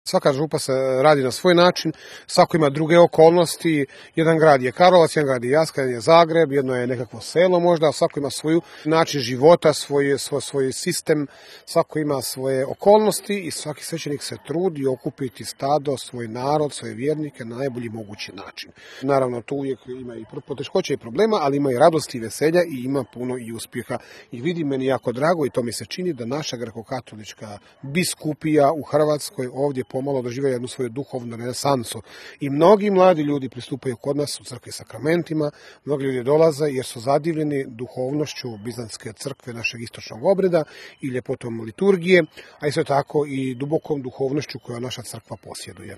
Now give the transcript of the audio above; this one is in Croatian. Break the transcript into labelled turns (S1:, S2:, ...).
S1: Svaka župa se radi na svoj način, svako ima druge okolnosti, jedan grad je Karlovac, jedan grad je Jaska, jedan je Zagreb, jedno je nekakvo selo možda, svako ima svoj način života, svoj sistem, svako ima svoje okolnosti i svaki svećenik se trudi okupiti stado, svoj narod, svoje vjernike na najbolji mogući način. Naravno, tu uvijek ima i poteškoća i problema, ali ima i radosti i veselja i ima puno i uspjeha. I vidi, meni jako drago i to mi se čini da naša grekokatolička biskupija u Hrvatskoj ovdje pomalo doživljava jednu svoju duhovnu renesansu. I mnogi mladi ljudi pristupaju kod nas u crkvi sakramentima, mnogi ljudi dolaze jer su zadivljeni duhovnošću Bizantske crkve, našeg istočnog obreda i ljepotom liturgije, a isto tako i dubokom duhovnošću koju naša crkva posjeduje.